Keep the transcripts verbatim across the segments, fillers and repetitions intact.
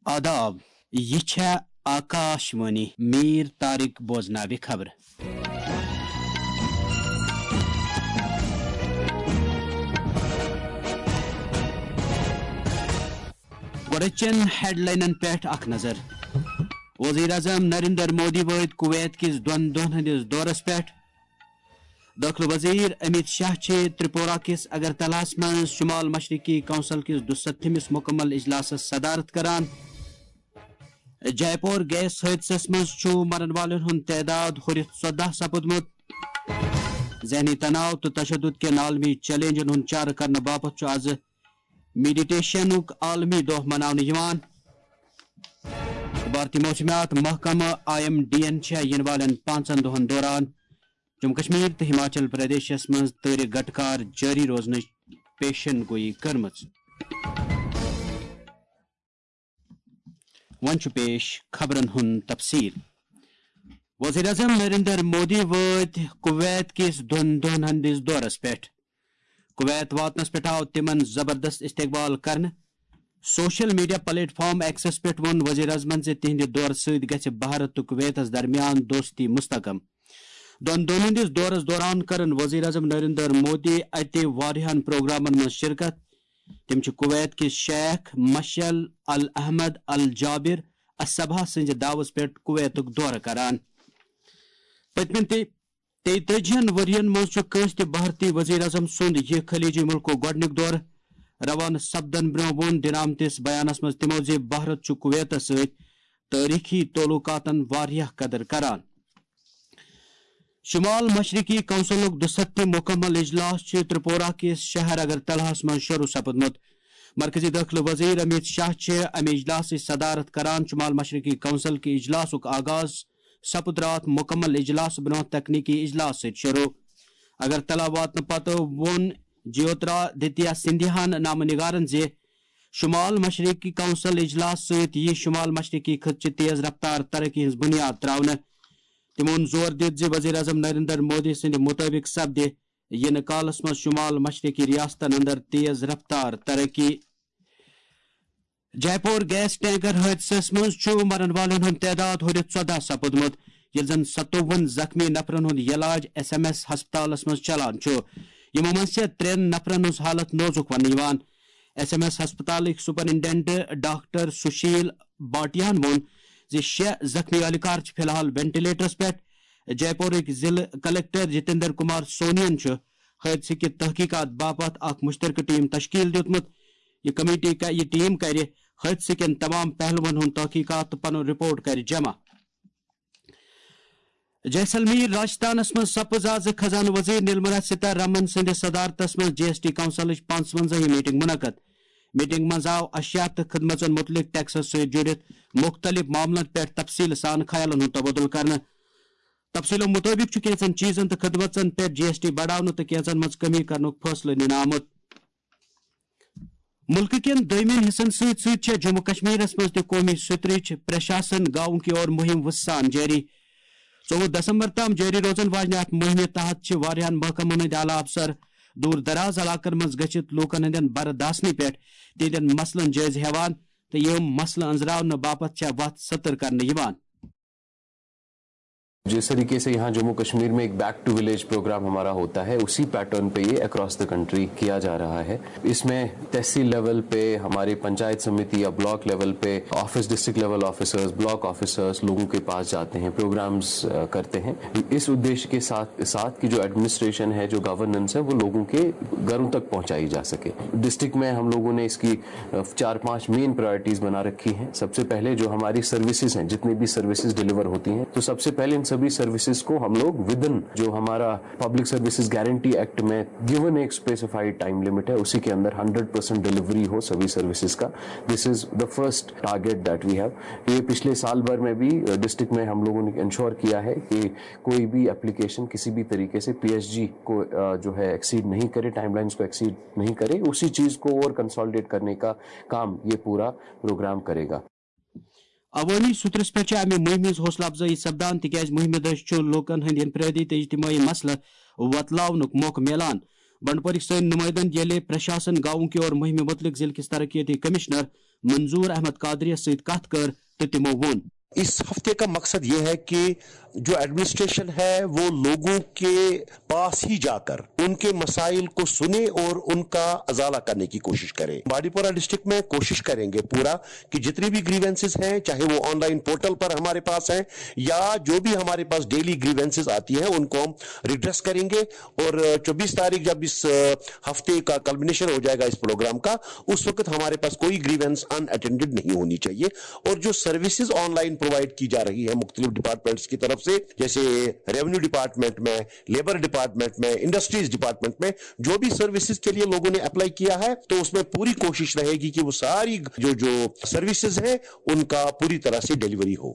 آداب، یہِ چھےٚ آکاش وانی۔ میٖر طارق بوزناوِ خبرٕ۔ گۄڈٕ چٮ۪ن ہیڈلاینن پٮ۪ٹھ اکھ نظر۔ وزیر اعظم نریندر مودی وٲتۍ کویت کِس دۄن دۄہن ہٕنٛدِس دورس پٮ۪ٹھ۔ دٲخلہٕ وزیر امیت شاہ چھِ ترپورہ کِس اگرتلاہس منٛز شمال مشرقی کونسل کِس دُستتھمِس مکمل اجلاسس صدارت کران۔ جے پور گیس حٲدثس منٛز چھُ مرن والٮ۪ن ہُنٛد تعداد ہُرِتھ ژۄداہ سپُدمُت۔ ذہنی تناؤ تہٕ تشدد کٮ۪ن عالمی چیلنجن ہُنٛد چارٕ کرنہٕ باپتھ چھُ از میڈیٹیشنُک عالمی دۄہ مناونہٕ یِوان۔ بھارتی موسمیات محکمہٕ، آئی ایم ڈی ین، چھےٚ یِنہٕ والٮ۪ن پانٛژن دۄہن دوران جموں کشمیر تہٕ ہماچل پردیشس منٛز تۭرِ گٹہٕ کار جٲری روزنٕچ پیشن گویی کٔرمٕژ۔ وۄنۍ چھُ پیش خبرن ہُنٛد تفصیل۔ وزیر اعظم نریندر مودی وٲتۍ کویت کِس دۄن دۄہن ہٕنٛدِس دورس پٮ۪ٹھ۔ کویت واتنس پٮ۪ٹھ آو تِمن زبردست استقبال کرنہٕ۔ سوشل میڈیا پلیٹ فارم ایکسس پٮ۪ٹھ ووٚن وزیر اعظمن زِ تِہنٛدِ دورٕ سۭتۍ گژھِ بھارت تہٕ کویتس درمیان دوستی مستحکم۔ دۄن دۄہن ہٕنٛدِس دورس دوران کرن وزیر اعظم نریندر مودی اتہِ واریاہن پروگرامن منٛز شرکت۔ تِم چھِ کویت کِس شیخ مشعل الاحمد الجابر الصباح سٕنٛزِ دعوژ پٮ۪ٹھ کویتُک دورٕ کران۔ پٔتمٮ۪ن تہِ تیتٲجی ہن ؤرین منٛز چھُ کٲنٛسہِ تہِ بھارتی وزیر اعظم سُنٛد یہِ خلیجی مُلکُک گۄڈٕنیُک دورٕ۔ روانہٕ سپدن برٛونٛہہ ووٚن دِنہٕ آمتِس بیانس منٛز تِمو زِ بھارت چھُ کویتس سۭتۍ تٲریخی تعلقاتن واریاہ قدر کران۔ شمال مشرقی کونسلُک دُستتھم مکمل اجلاس چھُ ترپورہ کِس شہر اگرتلاہس منٛز شروع سپُدمُت۔ مرکزی دٲخلہٕ وزیر امیت شاہ چھِ امہِ اجلاسٕچ صدارت کران۔ شمال مشرقی کونسل کہِ اجلاسُک آغاز سپُد راتھ مکمل اجلاس برٛونٛہہ تکنیکی اجلاس سۭتۍ شروع۔ اگرتلا واتنہٕ پتہٕ ووٚن جیوترادتیہ سندھیاہن نامہ نگارن زِ شمال مشرقی کونسل اجلاس سۭتۍ ییہِ شمال مشرقی خطہٕ چہِ تیز رفتار ترقی ہٕنٛز بنیاد تراونہٕ۔ تِمو ووٚن زور دِتھ زِ وزیر اعظم نریندر مودی سٕنٛدِ مُطٲبِق سپدِ یِنہٕ کالس منٛز شمال مشرقی ریاستن اندر تیز رفتار ترقی۔ جے پور گیس ٹینکر حٲدثس منٛز چھُ مرن والٮ۪ن ہُنٛد تعداد ہُرِتھ ژۄداہ سپُدمُت، ییٚلہِ زن ستووُہن زخمی نفرن ہُنٛد علاج ایس ایم ایس ہسپتالس منٛز چلان چھُ۔ یِمو منٛز چھِ ترٛٮ۪ن نفرن ہٕنٛز حالت نوزُک وننہٕ یِوان۔ ایس ایم ایس ہسپتالٕکۍ سپرنٹنڈنٹ ڈاکٹر سشیل بھاٹیاہن ووٚن زِ شےٚ زخمی اہلکار چھِ فی الحال وینٹیلیٹرس پٮ۪ٹھ۔ جے پورٕکۍ ضلعہٕ کلکٹر جتیندر کمار سونین چھُ حٲدثہٕ کہِ تحقیقات باپتھ اکھ مشترکہٕ ٹیم تشکیل دیُتمُت۔ یہِ کمیٹی ک-، یہِ ٹیم کرِ حٲدثہٕ کٮ۪ن تمام پہلوَن ہُنٛد تحقیقات تہٕ پنُن رپورٹ کرِ جمع۔ جیسلمیر، راجستھانس منٛز سپٕز آز خزانہٕ وزیر نرملا سیتارمن سٕنٛدِ صدارتس منٛز جی ایس ٹی کونسلٕچ پانٛژوَنزاہِم میٹنگ منعقد۔ میٹنگ منٛز آو اشیاء تہٕ خدمژن مُتعلق ٹیکسس سۭتۍ جُڑِتھ مُختٔلِف معاملن پٮ۪ٹھ تفصیٖل سان خیالن ہُنٛد تبادلہٕ کرنہٕ۔ تفصیٖلو مُطٲبِق چھُ کینٛژن چیٖزن تہٕ خدمژن پٮ۪ٹھ جی ایس ٹی بڑاونہٕ تہٕ کینٛژن منٛز کمی کرنُک فٲصلہٕ نِنہٕ آمُت۔ مُلکہٕ کٮ۪ن دوٚیمٮ۪ن حصن سۭتۍ سۭتۍ چھےٚ جموں کشمیرس منٛز تہِ قومی سترٕچ پرشاسن گاؤں کی اور مہم وُسان جٲری۔ ژوٚوُہ دسمبر تام جٲری روزن واجنہِ اتھ مہمہِ تحت چھِ واریاہن محکمن ہٕنٛدۍ اعلیٰ افسر دوٗر دراز علاقن منٛز گٔژھِتھ لوٗکن ہٕنٛدٮ۪ن برداشتنٕے پٮ۪ٹھ تِہنٛدٮ۪ن مسلن جٲیزٕ ہٮ۪وان تہٕ یِم مسلہٕ أنٛزراونہٕ باپتھ چھےٚ وتھ ستر کرنہٕ یِوان۔ जिस तरीके से यहाँ जम्मू कश्मीर में एक बैक टू विलेज प्रोग्राम हमारा होता है, उसी पैटर्न पे ये अक्रॉस द कंट्री किया जा रहा है। इसमें तहसील लेवल पे, हमारे पंचायत समिति या ब्लॉक लेवल पे office, district level officers, block officers लोगों के पास जाते हैं, प्रोग्राम्स करते हैं। इस उद्देश्य के साथ साथ कि जो एडमिनिस्ट्रेशन है, जो गवर्नेंस है, वो लोगों के घरों तक पहुंचाई जा सके। डिस्ट्रिक्ट में हम लोगों ने इसकी चार पांच मेन प्रायोरिटीज बना रखी हैं। सबसे पहले जो हमारी सर्विसेज हैं, जितनी भी सर्विसेज डिलीवर होती हैं, तो सबसे पहले इन सभी सर्विसेज को हम लोग विद इन जो हमारा पब्लिक सर्विसेज गारंटी एक्ट में गिवन एक स्पेसिफाइड टाइम लिमिट है, उसी के अंदर हंड्रेड परसेंट डिलीवरी हो सभी सर्विसेज का। This is the first target that we have। ये पिछले साल भर में भी डिस्ट्रिक्ट में हम लोगों ने इंश्योर किया है कि कोई भी एप्लीकेशन किसी भी तरीके से पीएसजी को जो है एक्सीड नहीं करे, टाइमलाइंस को एक्सीड नहीं करे। उसी चीज़ को और कंसोलिडेट करने का काम ये पूरा प्रोग्राम करेगा। عوٲمی سطرس پٮ۪ٹھ چھِ امہِ مُہِمہِ ہٕنٛز حوصلہٕ افزٲیی سپدان، تِکیازِ مُہِمہِ دٔسۍ چھُ لوٗکَن ہٕنٛدۍ انفرٲدی تہٕ اجتمٲعی مسلہٕ وۄتلاونُک موقعہٕ میلان۔ بنڈپورٕکۍ سٲنۍ نُمٲیندَن ییٚلہِ پرشاسن گاؤں کی اور مُہِمہِ مُتعلِق ضلعہٕ کِس ترقیتی کمشنر منظور احمد قادریس سۭتۍ کتھ کٔر تہٕ تِمو ووٚن۔ اس ہفتے کا مقصد یہ ہے کہ جو ایڈمنسٹریشن ہے وہ لوگوں کے پاس ہی جا کر ان کے مسائل کو سنے اور ان کا ازالہ کرنے کی کوشش کرے۔ بانڈی پورہ ڈسٹرکٹ میں کوشش کریں گے پورا کہ جتنی بھی گریونسز ہیں، چاہے وہ آن لائن پورٹل پر ہمارے پاس ہیں یا جو بھی ہمارے پاس ڈیلی گریونسز آتی ہیں، ان کو ہم ریڈریس کریں گے۔ اور چوبیس تاریخ جب اس ہفتے کا کلمنیشن ہو جائے گا اس پروگرام کا، اس وقت ہمارے پاس کوئی گریونس ان اٹینڈڈ نہیں ہونی چاہیے۔ اور جو سروسز آن لائن پرووائڈ کی جا رہی ہے مختلف ڈپارٹمنٹس کی طرف سے، جیسے ریونیو ڈپارٹمنٹ میں، لیبر ڈپارٹمنٹ میں، انڈسٹریز ڈپارٹمنٹ میں، جو بھی سروسز کے لیے لوگوں نے اپلائی کیا ہے، تو اس میں پوری کوشش رہے گی کہ وہ ساری جو جو سروسز ہیں، ان کا پوری طرح سے ڈیلیوری ہو۔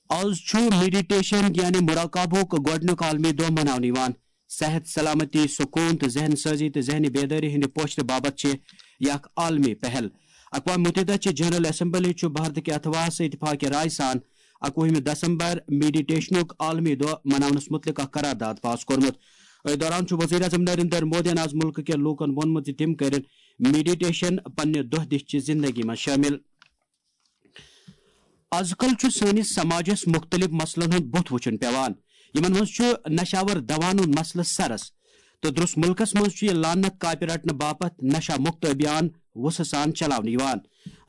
از چھُ میڈیٹیشن یعنی مراقبہُک گۄڈٕنیُک عالمی دۄہ مناونہٕ یِوان۔ صحت، سلامتی، سکوٗن تہٕ ذہن سٲزی تہٕ ذہنی بیدٲری ہٕنٛدِ پوچھرٕ باپتھ چھِ یہِ اکھ عالمی پہل۔ اقوام متحدہ چہِ جنرل اسمبلی چھُ بھارتٕکہِ اتھواہس اتفاق رائے سان اکوُہمہِ دسمبر میڈیٹیشنُک عالمی دۄہ مناونس متعلق اکھ قرارداد پاس کوٚرمُت۔ أتھۍ دوران چھُ وزیر اعظم نریندر مودیَن آز مُلکہٕ کٮ۪ن لوٗکن ووٚنمُت زِ تِم کٔرِن میڈیٹیشن پننہِ دۄہ دِش چہِ زندگی منٛز شٲمِل۔ از کل چھُ سٲنِس سماجس مختلف مسلن ہُنٛد بُتھ وُچھُن پیوان، یِمن منٛز چھُ نشہٕ آور دواہن ہُنٛد مسلہٕ سرس، تہٕ درس مُلکس منٛز چھُ یہِ لعنت کاپہِ رٹنہٕ باپتھ نشہ مُکت ابھیان وُژھٕ سان چلاونہٕ یِوان۔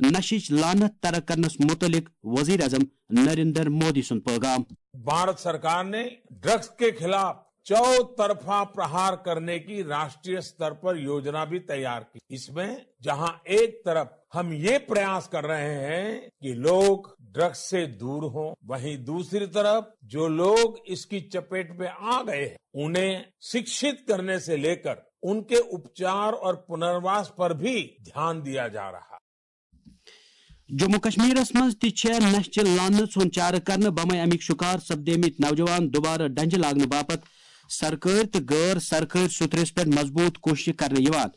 نشٕچ لعنت ترک کرنس مُتعلق وزیر اعظم نریندر مودی سُنٛد پٲغام۔ भारत सरकार ने ड्रग्स के खिलाफ चौतरफा प्रहार करने की राष्ट्रीय स्तर पर योजना भी तैयार की। इसमें जहां एक तरफ हम ये प्रयास कर रहे हैं कि लोग ड्रग्स से दूर हों, वहीं दूसरी तरफ जो लोग इसकी चपेट में आ गए हैं, उन्हें शिक्षित करने से लेकर उनके उपचार और पुनर्वास पर भी ध्यान दिया जा रहा है। جموں کشمیرس منٛز تہِ چھےٚ نشہٕ چہِ لعنت ہُنٛد چارٕ کرنہٕ بمے امیُک شکار سپدیمٕتۍ نوجوان دوبارٕ ڈنجہِ لاگنہٕ باپتھ سرکٲرۍ تہٕ غٲر سرکٲرۍ سوٚتھرِس پٮ۪ٹھ مضبوٗط کوٗششہٕ کرنہٕ یِوان۔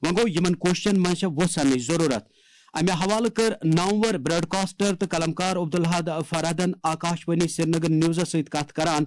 وۄنۍ گوٚو، یِمن کوٗششن منٛز چھےٚ وُژھ اننٕچ ضروٗرت۔ امہِ حوالہٕ کٔر نامور براڈکاسٹر تہٕ قلمکار عبدالحد فرحتن آکاشوانی سرینگر نیوزس سۭتۍ کتھ کران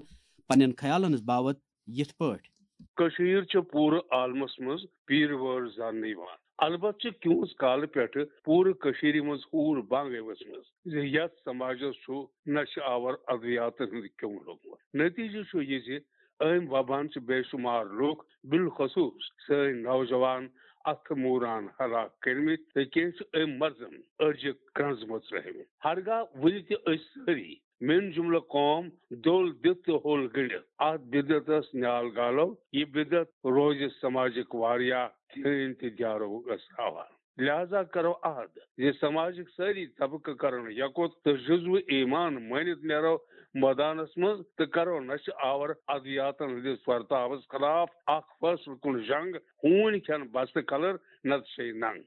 پننٮ۪ن خیالن ہٕنٛز باوت یِتھ پٲٹھۍ۔ کٔشیٖر چھےٚ پوٗرٕ عالمس منٛز پیٖرٕ وٲر زاننہٕ یِوان۔ البتہٕ چھِ کینٛژھ کالہٕ پٮ۪ٹھٕ پوٗرٕ کٔشیٖرِ منٛز ہوٗر بنٛگ ؤژھمٕژ زِ یتھ سماجس چھُ نشہٕ آور ادوِیاتن ہُنٛد کیوٚم لوٚگمُت۔ نتیجہٕ چھُ یہِ زِ أمۍ وباہن چھِ بے شمار لوٗکھ، بالخصوٗص سٲنۍ نوجوان، اتھٕ موٗران ہلاک کٔرمٕتۍ تہٕ کینٛہہ چھِ أمۍ مرضن أڈجہِ کرٛنٛزمہٕ ترٲومٕتۍ۔ ہرگاہ وُنہِ تہِ أسۍ سٲری، میون جملہٕ قوم، دول دِتھ تہٕ ہوٚل گٔنڈِتھ اتھ بدعتس نیال گالو، یہِ بدعت روزِ سماجٕکۍ واریاہ دیٖن تہٕ دیارو أسراوان۔ لہذا کرو عہد زِ سماجٕکۍ سٲری طبقہٕ کرن یکوت تہٕ جزو ایمان مٲنِتھ نیرو مٲدانس منٛز تہٕ کرو نشہٕ آور ادویاتن ہٕنٛدِس ورتاوس خلاف اکھ فٲصلہٕ کُن جنگ، ہوٗنۍ کھٮ۪ن بستہٕ کلر نتہٕ شے ننگ۔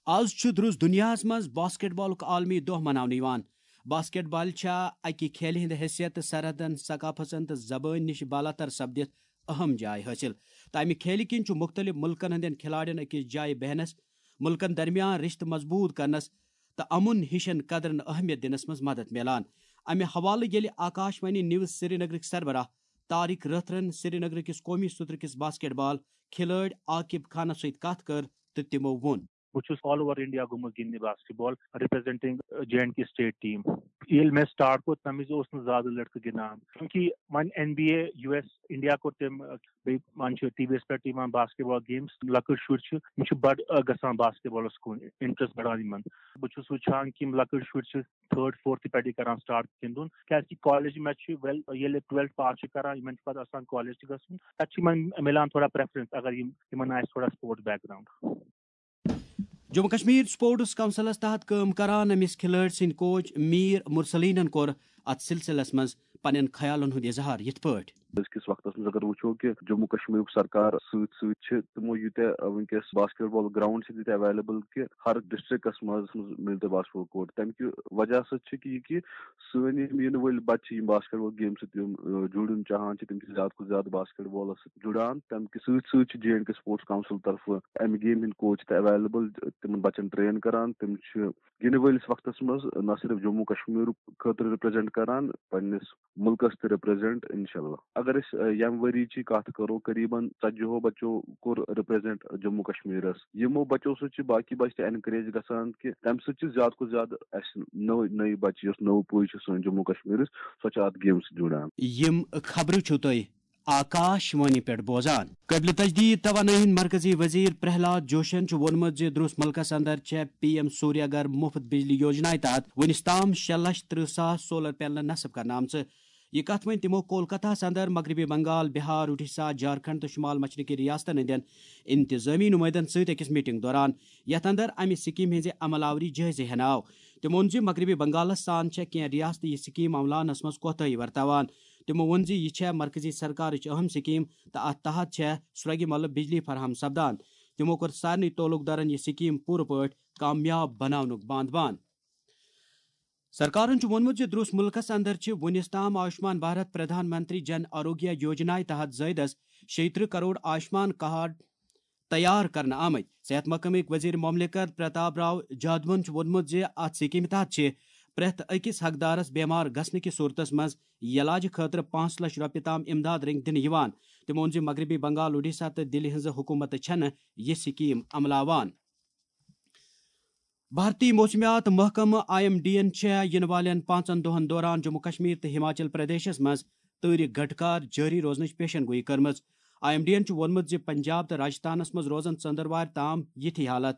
از چھُ درُس دُنیاہس منٛز باسکٹ بالُک عالمی دۄہ مناونہٕ یِوان۔ باسکٹ بال چھا اکہِ کھیلہِ ہٕنٛدِ حیثیت تہٕ سرحدن، ثقافتن تہٕ زبٲنۍ نِش بالاتر سپدِتھ اہم جاے حٲصِل۔ تہٕ امہِ کھیلہِ کِنۍ چھُ مُختٔلِف مُلکن ہٕنٛدٮ۪ن کھلاڑٮ۪ن أکِس جایہِ بیہنس، مُلکن درمیان رشتہٕ مضبوٗط کرنس تہٕ امُن ہِشن قدرن اہمیت دِنس منٛز مدد میلان۔ امہِ حوالہٕ ییٚلہِ آکاشوانی نیوز سرینگرٕکۍ سربراہ طارق رٲتھرن سرینگرٕ کِس قومی سطرٕ کِس باسکٹ بال کھلٲڑۍ عاقب خانس سۭتۍ کتھ کٔر تہٕ تِمو ووٚن۔ بہٕ چھُس آل اوور انڈیا گوٚمُت گِنٛدنہِ basketball, representing J and K state team. ییٚلہِ مےٚ سٹارٹ کوٚر، تَمہِ وِزِ اوس نہٕ زیادٕ لٔڑکہٕ گِنٛدان، کیونکہ وۄنۍ N B A, U S, India کوٚر تٔمۍ، بیٚیہِ وۄنۍ چھُ ٹی وی یَس پٮ۪ٹھ تہِ یِوان باسکٹ بال گیمز۔ لۄکٕٹۍ شُرۍ چھِ، یِم چھِ بَڑٕ، آ، گژھان باسکٹ بالَس کُن، انٹرسٹ بَڑان یِمَن۔ بہٕ چھُس وٕچھان کہِ یِم لۄکٕٹۍ شُرۍ چھِ تھٲرڈ، فورتھٕ پٮ۪ٹھٕے کران سٹارٹ گِنٛدُن، کیازِ کہِ کالج منٛز چھِ ویل، ییٚلہِ ٹُویلتھ پاس چھِ کران، یِمن چھُ پتہٕ آسان کالج تہِ گژھُن، تتہِ چھِ یِمن مِلان تھوڑا پریفرنس اگر یِم، یِمن آسہِ تھوڑا sports back ground. Jammu Kashmir sports councils تحت کٲم کران أمِس کھلٲڑۍ سٕنٛدۍ کوچ میر مرسلیٖنن کوٚر اتھ سلسلس منٛز پننٮ۪ن خیالن ہُنٛد اظہار یِتھ پٲٹھۍ۔ أزکِس وقتس منٛز اگر وٕچھو کہِ جموں کشمیرُک سرکار سۭتۍ سۭتۍ چھِ تِمو یوٗتاہ، آ، وٕنکیٚس باسکٹ بال گراؤنڈ چھِ تیٖتیٛاہ ایویلیبل کہِ ہر ڈسٹرکٹس منٛز، منٛز مِلہِ تۄہہِ باسکٹ بال کورٹ۔ تمہِ کہِ وجہ سۭتۍ چھِ کہِ یہِ کہِ سٲنۍ یِم یِنہٕ وٲلۍ بچہِ چھِ، یِم باسکٹ بال گیم سۭتۍ یِم، آ، جُڑُن چاہان چھِ، تِم چھِ زیادٕ کھۄتہٕ زیادٕ باسکٹ بالس سۭتۍ جُڑان۔ تمہِ کہِ سۭتۍ سۭتۍ چھِ J and K sports council طرفہٕ امہِ گیم ہٕنٛدۍ کوچ تہِ ایویلیبل، تِمن بچن ٹرین کران۔ تِم چھِ یِنہٕ وٲلِس وقتس منٛز نہ صرف جموں کشمیرُک خٲطرٕ رِپرٛزنٹ کران، پننِس مُلکس تہِ رِپرٛزنٹ، انشاءاللہ۔ اگر أسۍ، آ، ییٚمہِ ؤری چی کتھ کرو، قریباً ژتجی ہو بچو کوٚر represent جموں کشمیرس۔ یِمو بچو سۭتۍ چھِ باقی بچہٕ تہِ encourage گژھان کہِ تمہِ سۭتۍ چھِ زیادٕ کھۄتہٕ زیادٕ اسہِ نٔو، نٔے بچہٕ، یۄس نٔو پُے چھِ سٲنۍ جموں کشمیرٕچ، سۄ چھِ اتھ game سۭتۍ جُڑان۔ یِم خبرٕ چھِو تُہۍ آکاش وانی پٮ۪ٹھ بوزان۔ قٲبلِ تجدید توانٲیی ہٕنٛدۍ مرکزی وزیر پرہلاد جوشن چھُ ووٚنمُت زِ درٛس مُلکس اندر چھےٚ پی ایم سوریہ گھر مُفت بجلی یوجنایہِ تحت وُنِس تام شےٚ لچھ ترٕٛہ ساس solar panel نصب کرنہٕ آمژٕ۔ یہِ کتھ ؤنۍ تِمو کولکتہس اندر مغربی بنگال، بہار، اڈیشہ، جھارکھنڈ تہٕ شمال مشرقی ریاستن ہٕنٛدٮ۪ن انتظٲمی نمٲیندن سۭتۍ أکِس میٹنگ دوران، یتھ اندر امہِ سکیمہِ ہٕنٛزِ عمل آوری جٲیزٕ ہینہٕ آو۔ تِمو ووٚن زِ مغربی بنگالس سان چھےٚ کینٛہہ ریاستہٕ یہِ سکیٖم عملاونس منٛز کوتاہی ورتاوان۔ تِمو ووٚن زِ یہِ چھےٚ مرکزی سرکارٕچ اہم سکیٖم تہٕ اتھ تحت چھےٚ سرٛوگہِ مۄلہٕ بجلی فراہم سپدان۔ تِمو کوٚر سارنٕے تعلق دارن یہِ سکیٖم پوٗرٕ پٲٹھۍ کامیاب بناونُک باند بان۔ سرکارن چھُ ووٚنمُت زِ درٛس مُلکس اندر چھِ وُنِس تام آیوشمان بھارت پردھان منتری جن آروگیہ یوجنایہِ تحت زٲیدس شیٚیہِ ترٕٛہ کرور آیوشمان کارڈ تیار کرنہٕ آمٕتۍ۔ صحت محکمٕکۍ وزیر مملکت پرتاب راو جادوَن چھُ ووٚنمُت زِ اتھ سکیمہِ تحت چھِ پرٛٮ۪تھ أکِس حقدارس بیمار گژھنہٕ کِس صورتس منٛز علاجہِ خٲطرٕ پانٛژھ لچھ رۄپیہِ تام امداد رٔنگۍ دِنہٕ یِوان۔ تِمو ووٚن زِ مغربی بنگال، اڈیشہ تہٕ دِلہِ ہٕنٛزٕ حکوٗمتہٕ چھَنہٕ یہِ سکیٖم عملاوان۔ بھارتی موسمیات محکمہٕ آئی ایم ڈی یَن چھےٚ یِنہٕ والٮ۪ن پانٛژن دۄہَن دوران جموں کشمیر تہٕ ہماچل پردیشس منٛز تۭرِ گھٹکار جٲری روزنٕچ پیشن گویی کٔرمٕژ۔ آئی ایم ڈی یَن چھُ ووٚنمُت زِ پنجاب تہٕ راجستھانس منٛز روزن ژٔنٛدٕروارِ تام یِتھی حالت۔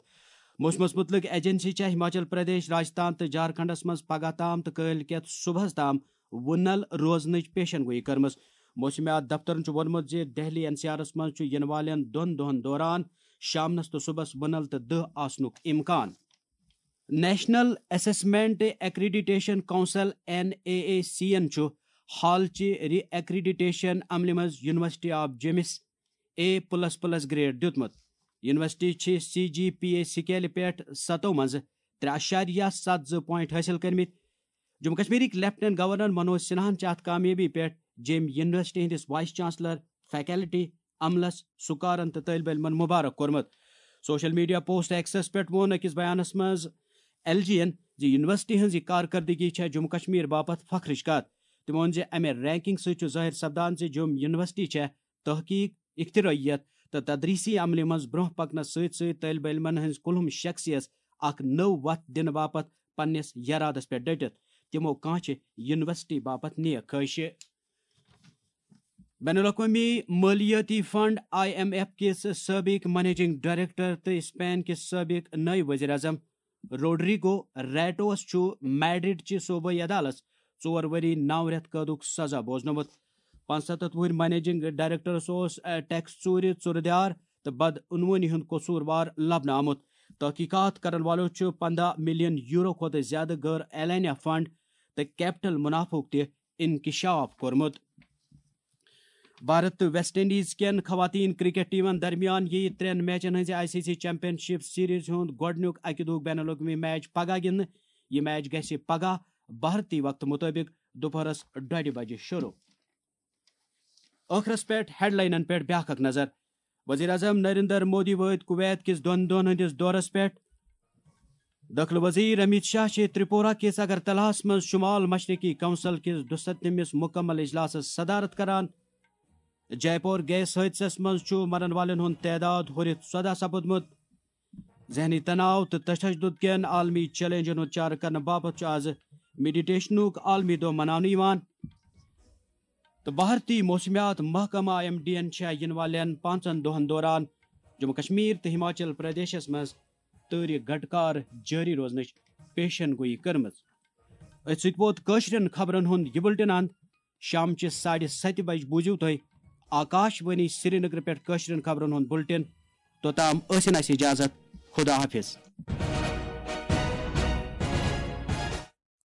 موسمس مُتعلق ایجنسی چھےٚ ہماچل پردیش، راجستھان تہٕ جھارکھنڈس منٛز پگہہ تام تہٕ کٲلۍ کٮ۪تھ صبحس تام وُنل روزنٕچ پیشن گویی کٔرمٕژ۔ موسمیات دفترن چھُ ووٚنمُت زِ دہلی این سی آرس منٛز چھُ یِنہٕ والٮ۪ن دۄن دۄہَن دوران شامنس تہٕ صبحس وُنل تہٕ دٔہ آسنُک امکان۔ National assessment accreditation council, N A A C یَن چھُ حالچہِ ری ایکریڈیٹیشن عملہِ منٛز یونیورسٹی آف جیمس اے پلس پلس گریڈ دیُتمُت۔ یونیورسٹی چھِ سی جی پی اے سکیلہِ پٮ۪ٹھ ستو منٛز ترٛےٚ اعشاریہ ستھ زٕ پوائنٹ حٲصِل کٔرمٕتۍ۔ جموں کشمیرٕکۍ لیفٹیننٹ گورنر منوج سنہاہن چھِ اتھ کامیٲبی پٮ۪ٹھ جیمۍ یونیورسٹی ہٕنٛدِس وائس چانسلر، فیکلٹی، عملس، سکارن تہٕ طٲلب علمن مبارک کوٚرمُت۔ سوشل میڈیا پوسٹ ایکسس پٮ۪ٹھ ووٚن أکِس بیانس منٛز ایل جی یَن زِ یونیورسٹی ہٕنٛز یہِ کارکردگی چھےٚ جموں کشمیر باپتھ فخرٕچ کتھ۔ تٔمۍ ووٚن زِ امہِ رینکنگ سۭتۍ چھُ ظٲہِر سپدان زِ جوٚم یونیورسٹی چھےٚ تحقیق، اختراعیت تہٕ تدریسی عملہِ منٛز برونٛہہ پکنس سۭتۍ سۭتۍ طٲلب علمن ہٕنٛز کُلہُم شخصیت اکھ نٔو وتھ دِنہٕ باپتھ پننِس یرادس پٮ۪ٹھ ڈٔٹِتھ۔ تِمو کانٛہہ چھِ یونیورسٹی باپتھ نیک خٲہشہِ۔ بین الاقوٲمی مٲلیٲتی فنڈ، آئی ایم ایف کِس سٲبِق منیجنگ ڈائریکٹر تہٕ اسپین کِس سٲبِق نٲیِب وزیر اعظم روڈریگو ریٹوس چھُ میڈرڈ چہِ صوبٲئی عدالتس ژور ؤری نو رٮ۪تھ قٲدُک سزا بوزنومُت۔ پانٛژستتھ وُہٕرۍ منیجنگ ڈائریکٹرس اوس، آ، ٹیکس ژوٗرِ، ژُرٕ دیار تہٕ بدعنوٲنی ہُنٛد قصوٗروار لبنہٕ آمُت۔ تحقیقات کرن والو چھُ پنٛداہ ملین یورو کھۄتہٕ زیادٕ غٲر اعلانیہ فنڈ تہٕ کیپٹل منافعُک تہِ انکشاف کوٚرمُت۔ بھارت تہٕ ویسٹ انڈیز کٮ۪ن خواتین کرکٹ ٹیمن درمیان یِیہِ ترٛٮ۪ن میچن ہٕنٛزِ I C C championship series ہُنٛد گۄڈٕنیُک اکہِ دۄہُک بین الاقوٲمی میچ پگاہ گِنٛدنہٕ۔ یہِ میچ گژھِ پگاہ بھارتی وقتہٕ مُطٲبِق دُپہرس ڈۄڈِ بجہِ شروع۔ ٲخرس پٮ۪ٹھ ہیڈلاینن پٮ۪ٹھ بیاکھ اکھ نظر۔ وزیر اعظم نریندر مودی وٲتۍ کویت کِس دۄن دۄہن ہٕنٛدِس دورس پٮ۪ٹھ۔ دٲخلہٕ وزیر امیت شاہ چھِ ترٛپورہ کِس اگرتلاہس منٛز شمال مشرقی کونسل کِس دُستتمِس مکمل اجلاسس صدارت کران۔ جے پور گیس حٲدثس منٛز چھُ مرن والٮ۪ن ہُنٛد تعداد ہُرِتھ ژۄداہ سپُدمُت۔ ذہنی تناؤ تہٕ تشدد کٮ۪ن عالمی چیلنجن ہُنٛد چارٕ کرنہٕ باپتھ چھُ آز میڈیٹیشنُک عالمی دۄہ مناونہٕ یِوان۔ تہٕ بھارتی موسمیات محکمہٕ آئی ایم ڈی یَن چھےٚ یِنہٕ والٮ۪ن پانٛژن دۄہَن دوران جموں کشمیر تہٕ ہماچل پردیشس منٛز تۭرِ گھٹکار جٲری روزنٕچ پیشن گویی کٔرمٕژ۔ أتھۍ سۭتۍ ووت کٲشرٮ۪ن خبرن ہُنٛد یہِ بُلٹن اند۔ شامچہِ ساڑِ ستہِ بجہِ بوٗزِو تُہۍ آکاش وانی سرینگر پٮ۪ٹھ کٲشرٮ۪ن خبرن ہُنٛد بُلٹن۔ توٚتام ٲسِن اَسہِ اجازت۔ خدا حافظ۔